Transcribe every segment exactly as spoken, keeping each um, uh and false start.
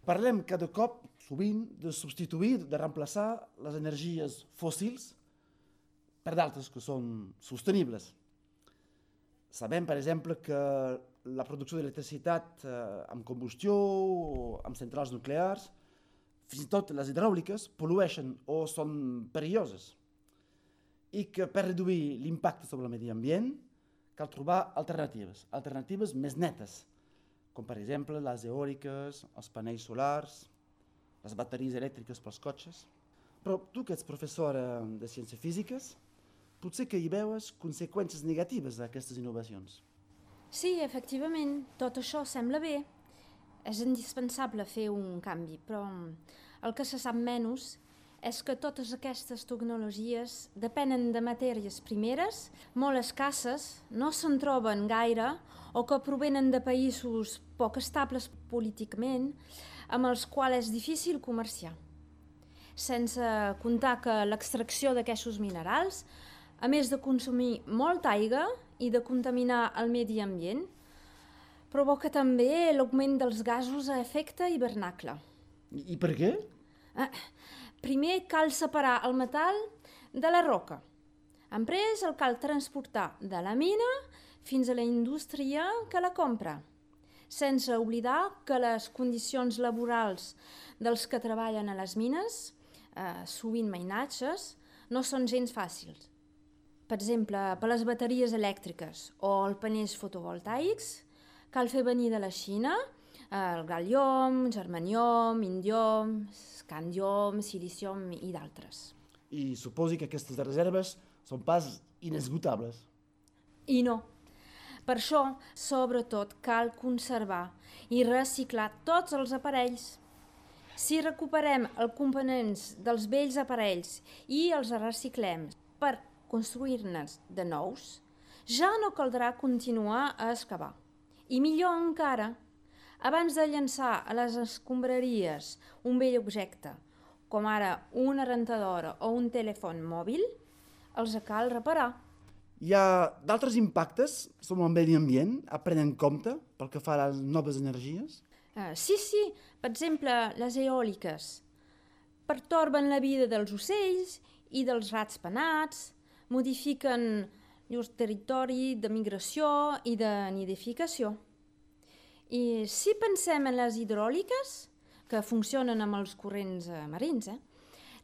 Parlem cada cop, sovint, de substituir, de reemplaçar les energies fòssils per d'altres que són sostenibles. Sabem, per exemple, que la producció d'electricitat eh, amb combustió o amb centrals nuclears, fins i tot les hidràuliques, pol·lueixen o són perilloses. I que per reduir l'impacte sobre el medi ambient cal trobar alternatives, alternatives més netes, com per exemple les eòliques, els panells solars, les bateries elèctriques pels cotxes. Però tu que ets professora de ciències físiques, potser que hi veus conseqüències negatives d'aquestes innovacions. Sí, efectivament, tot això sembla bé. És indispensable fer un canvi, però el que se sap menys és que totes aquestes tecnologies depenen de matèries primeres molt escasses, no se'n troben gaire o que provenen de països poc estables políticament, amb els quals és difícil comerciar. Sense comptar que l'extracció d'aquests minerals, a més de consumir molta aigua i de contaminar el medi ambient, provoca també l'augment dels gasos a efecte hivernacle. I, i per què? Eh, primer cal separar el metall de la roca. Després el cal transportar de la mina fins a la indústria que la compra, sense oblidar que les condicions laborals dels que treballen a les mines, eh, sovint mainatges, no són gens fàcils. Per exemple, per les bateries elèctriques o els panells fotovoltaics, cal fer venir de la Xina el gal·lium, germanium, indium, scandium, silicium i d'altres. I suposi que aquestes reserves són pas inesgotables. I no. Per això, sobretot, cal conservar i reciclar tots els aparells. Si recuperem els components dels vells aparells i els reciclem per construir-ne de nous, ja no caldrà continuar a excavar. I millor encara, abans de llançar a les escombraries un vell objecte, com ara una rentadora o un telèfon mòbil, els cal reparar. Hi ha d'altres impactes sobre el medi ambient a prendre en compte pel que fa a les noves energies? Uh, sí, sí, per exemple, les eòliques pertorben la vida dels ocells i dels rats penats, modifiquen llur territori de migració i de nidificació. I si pensem en les hidràuliques, que funcionen amb els corrents marins, eh,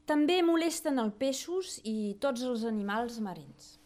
també molesten els peixos i tots els animals marins.